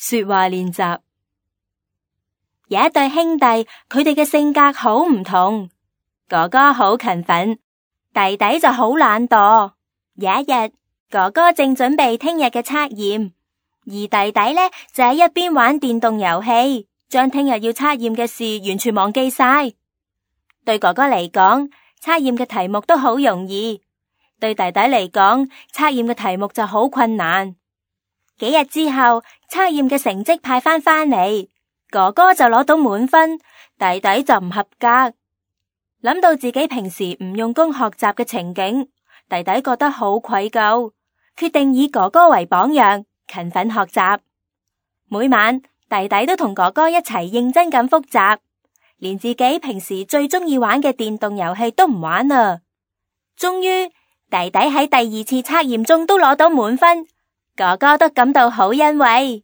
說話練習。有一對兄弟，佢哋嘅性格好唔同。哥哥好勤奮，弟弟就好懶惰。有一日，哥哥正準備聽日嘅測驗，而弟弟呢就喺一邊玩電動遊戲，將聽日要測驗嘅事完全忘記晒。對哥哥嚟講，測驗嘅題目都好容易；對弟弟嚟講，測驗嘅題目就好困難。幾日之後，測驗嘅成績派返嚟，哥哥就攞到滿分，弟弟就唔合格。諗到自己平時唔用功學習嘅情景，弟弟覺得好愧疚，決定以哥哥為榜樣，勤奮學習。每晚，弟弟都同哥哥一齊認真咁複習，連自己平時最中意玩嘅電動遊戲都唔玩啦。終於，弟弟喺第二次測驗中都攞到滿分，哥哥都感到好欣慰。